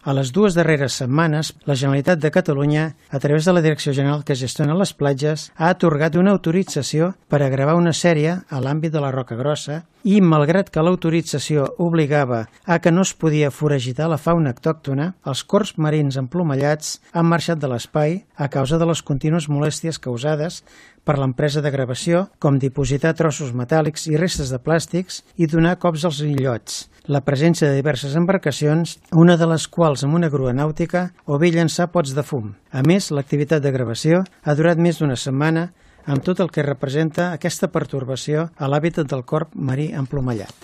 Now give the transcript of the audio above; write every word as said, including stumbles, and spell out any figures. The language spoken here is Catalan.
A les dues darreres setmanes, la Generalitat de Catalunya, a través de la Direcció General que gestiona les platges, ha atorgat una autorització per a gravar una sèrie a l'àmbit de la Roca Grossa i, malgrat que l'autorització obligava a que no es podia foragitar la fauna autòctona, els corbs marins emplomallats han marxat de l'espai a causa de les contínues molèsties causades per l'empresa de gravació, com dipositar trossos metàl·lics i restes de plàstics i donar cops als illots, la presència de diverses embarcacions, una de les quals amb una grua nàutica, o bé llançar pots de fum. A més, l'activitat de gravació ha durat més d'una setmana amb tot el que representa aquesta pertorbació a l'hàbitat del corb marí emplomallat.